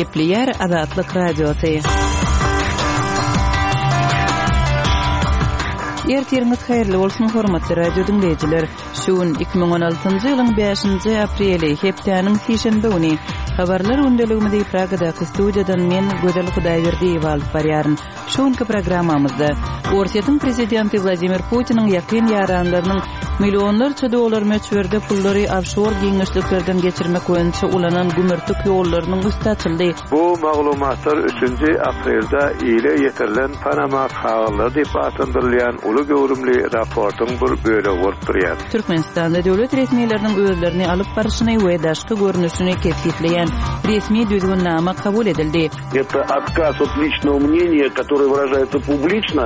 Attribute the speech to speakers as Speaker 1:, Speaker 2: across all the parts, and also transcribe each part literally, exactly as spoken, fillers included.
Speaker 1: Gepleýär Azatlyk Radiosy. Ertiriňiz haýyrly bolsun, hormatly radio diňleýjiler. Şu gün iki müň on altynjy ýylyň bäşinji apreli, hepdäniň sişenbe güni. Habarlar gündeligimizi Pragadaky studiýadan men Gözel Hudaýberdiýewa alyp barýaryn. Şu günki programmamyzda Orsýetiň prezidenti Wladimir Putiniň ýakyn ýaranlarynyň millionlarça dollar möçberde pullary ofşor giňişliklerden geçirmek boýunça ulanan gümürtik ýollarynyň üsti açyldy.
Speaker 2: Bu maglumatlar üçünji aprelde ile ýetirilen Panama kagyzlary diýip atlandyrylýan uly göwrümli raportyň bir bölegi bolup durýar.
Speaker 1: Türkmenistanda döwlet resmileriniň özlerini alyp baryşyny we daşky görnüşini kesgitleýän resmi düzgünnama kabul edildi.
Speaker 3: Это отказ от личного мнения, которое выражается публично,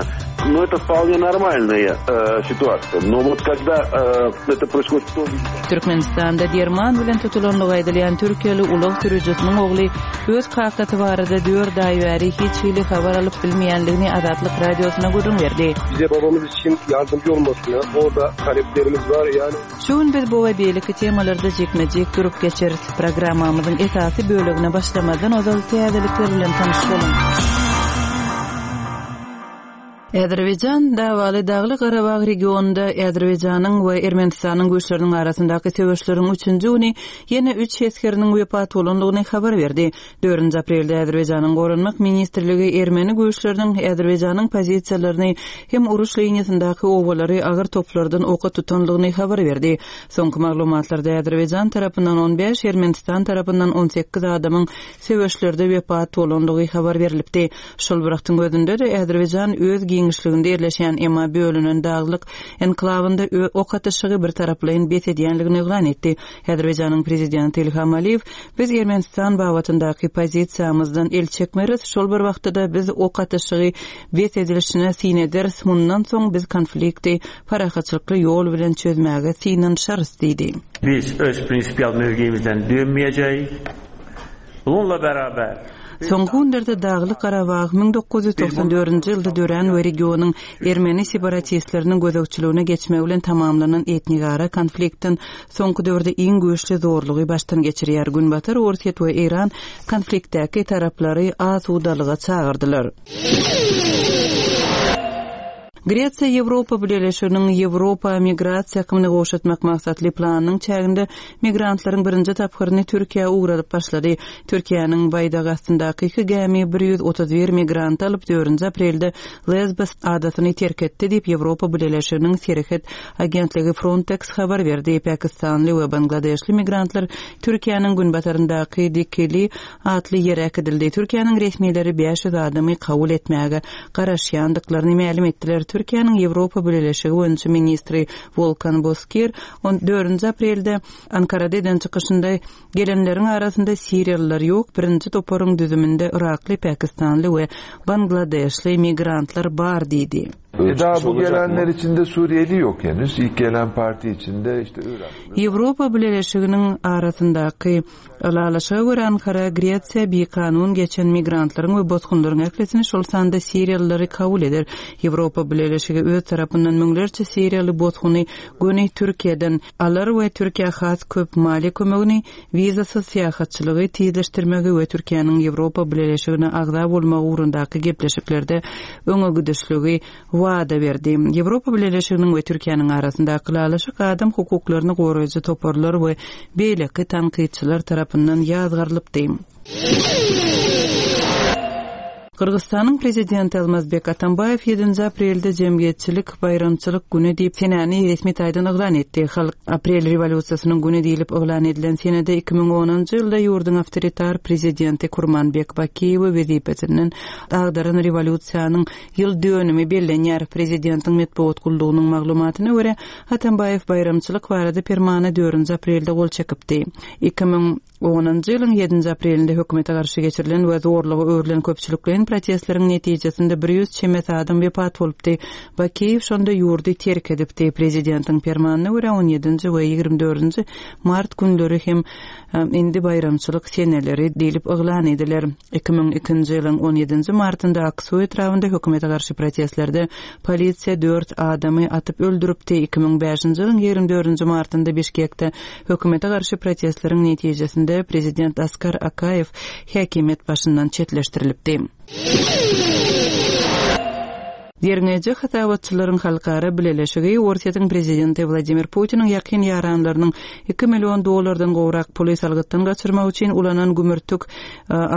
Speaker 3: но это вполне нормальная, э, ситуация. Но вот когда, э, это происходит в том виде,
Speaker 1: Türkmenistanda derman bilen tutulanlygy aýdylýan türkiýeli ulag sürüjisiniň ogly öz kakasy barada dört aý bäri hiç hili habar alyp bilmeýänligini Azatlyk Radiosyna gürrüň berdi.
Speaker 4: Bize babamız için yardımcı olmasını, orada taleplerimiz var yani.
Speaker 1: Şu gün biz bu we beýleki temalarda jikme-jik durup geçeris. Programmamyzyň esasy bölegine başlamazdan ozal täzelikler bilen tanyş boluň. Azerbaýjan davaly Dagly Garabag regionunda Azerbaýjanyň we Ermenistanyň güýçleriniň arasyndaky söweşleriň üçünji güni ýene üç esgeriniň wepat bolandygyny habar berdi. Dördünji aprelde Azerbaýjanyň Goranmak Ministrligi Ermeni güýçleriniň Azerbaýjanyň pozisiýalaryny hem uruş liniýasyndaky obalary agyr toplardan oka tutandygyny habar berdi. Soňky maglumatlarda Azerbaýjan tarapyndan on bäş, Ermenistan tarapyndan on sekiz adamyň söweşlerde wepat bolandygy habar berilipdi. Şol bir wagtyň özünde de Azerbaýjan öz giňişliginde ýerleşen emma bölünen daglyk enklawynda ok atyşygy bir taraplaýyn bes edýänligini yglan etdi. Azerbaýjanyň prezidenti Ilham Aliýew biz Ermenistan babatyndaky pozisiýamyzdan el çekmeris, şol bir wagtda da biz ok atyşygy bes edilişine syn ederis, mundan soň biz konflikti parahatçylykly ýol bilen çözmäge synanyşarys diýdi.
Speaker 5: Biz öz prinsipial mövqeyimizden dönmeyeceğiz. Bununla beraber
Speaker 1: Soňky günlerde Daglyk Garabag müň dokuz ýüz togsan dördünji ýylda dörän we regionyň ermeni separatistleriniň gözegçiligine geçmegi bilen tamamlanan etnigara konfliktden soňky döwürde iň güýçli zorlugy başdan geçirýär. Günbatar Orsýet we Eýran konfliktdäki taraplary asudalyga çagyrdylar. Gresiýa Ýewropa Bileleşiginiň Ýewropa migrasiýa akymyny gowşatmak maksatly planynyň çäginde migrantlaryň birinji tapgyryny Türkiýä ugradyp başlady. Türkiýäniň baýdagy astyndaky iki gämi bir ýüz otuz bir migrant alyp dördünji aprelde Lesbos adasyny terk etdi diýip Ýewropa Bileleşiginiň serhet agentligi Frontex habar berdi. Pakistanly we Bangladeşli migrantlar Türkiýäniň günbataryndaky Dikili atly ýere äkidildi. Türkiýäniň resmileri bäş ýüz adamy kabul etmäge garaşýandyklaryny mälim etdiler. Türkiýäniň Ýewropa Bileleşigi boýunça ministri Volkan Bozkir on dördünji aprelde Ankarada eden çykyşynda gelenleriň arasynda Siriýalylar ýok, birinji toparyň düzüminde Irakly, Pakistanly we Bangladeşli migrantlar bar diýdi.
Speaker 6: E, daha bu
Speaker 7: Olacak mı?
Speaker 6: gelenler içinde Suriyeli yok henüz. İlk gelen parti içinde işte Irak.
Speaker 1: Ýewropa Bileleşiginiň arasyndaky ylalaşyga görä Ankara Gresiýa bir kanun geçen migrantlaryň we bosgunlaryň ählisini şol sanda Siriýalylary kabul eder. Ýewropa Bileleşigi öz tarapyndan müňlerçe Siriýaly bosguny göni Türkiýeden alar we Türkiýä has köp maliýe kömegini, wizasyz syýahatçylygy tizleşdirmegi we Türkiýäniň Ýewropa Bileleşigine agza bolmagy ugrundaky gepleşiklerde öňe gidişligi wada berdi. Ýewropa Bileleşiginiň we Türkiýäniň arasyndaky ylalaşyk adam hukuklaryny goraýjy toparlar we beýleki tankytçylar tarapyndan ýazgarylypdy. Gyrgyzstanyň prezidenti Almazbek Atambaýew ýedinji aprelde jemgyýetçilik baýramçylyk güni diýip senäni resmi taýdan yglan etdi. Halk aprel rewolýusiýasynyň güni diýilip yglan edilen senede iki müň onunjy ýylda ýurduň awtoritar prezidenti Kurmanbek Bakiýewi wezipesinden agdaran rewolýusiýanyň ýyl dönümi bellenýär. Prezidentiň metbugat gullugynyň maglumatyna görä Atambaýew baýramçylyk barada permana dördünji aprelde gol çekipdi. Iki müň onunjy ýylyň ýedinji aprelinde hökümete garşy geçirilen we zorlugy öwrülen köpçülikleýin protestleriň netijesinde bir ýüz çemesi adam wepat bolupdy. Bakiýew şonda ýurdy terk edipdi. Prezidentiň permanyna görä on ýedinji we ýigrimi dördünji mart günleri hem, e, indi baýramçylyk seneleri diýlip yglan ediler. Iki müň ikinji ýylyň on ýedinji martynda Aksu etrabynda hökümete garşy protestlerde polisiýa dört adamy atyp öldüripdi. Iki müň bäşinji ýylyň ýigrimi dördünji martynda Bişkekde hökümete garşy protestleriň netijesinde netijesinde prezident Askar Akaýew häkimiýet başyndan çetleşdirilipdi. Derňeýji hasabatçylaryň halkara bileleşigi Orsýetiň prezidenti Wladimir Putiniň ýakyn ýaranlarynyň iki million dollardan gowrak puly salgytdan gaçyrmak üçin ulanan gümürtik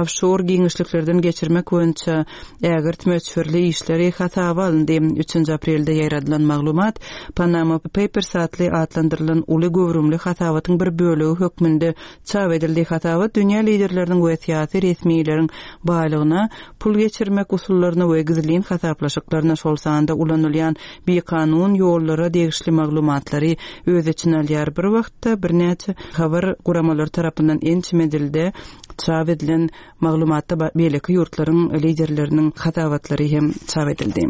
Speaker 1: ofşor giňişliklerden geçirmek boýunça ägirt möçberli işleri hasaba alyndy. Üçünji aprelde ýaýradylan maglumat Panama Papers atly atlandyrylan uly göwrümli hasabatyň bir bölegi hökmünde çap edildi. Hasabat dünýä liderleriniň we syýasy resmileriň baýlygyna pul geçirmek usullaryna we gizlin hasaplaşyklaryna, şol sanda ulanylýan bikanun ýollara degişli maglumatlary öz içine alýar. Bir wagtda birnäçe habar guramalary tarapyndan ençeme dilde çap edilen maglumatda beýleki ýurtlaryň liderleriniň hasabatlary hem çap edildi.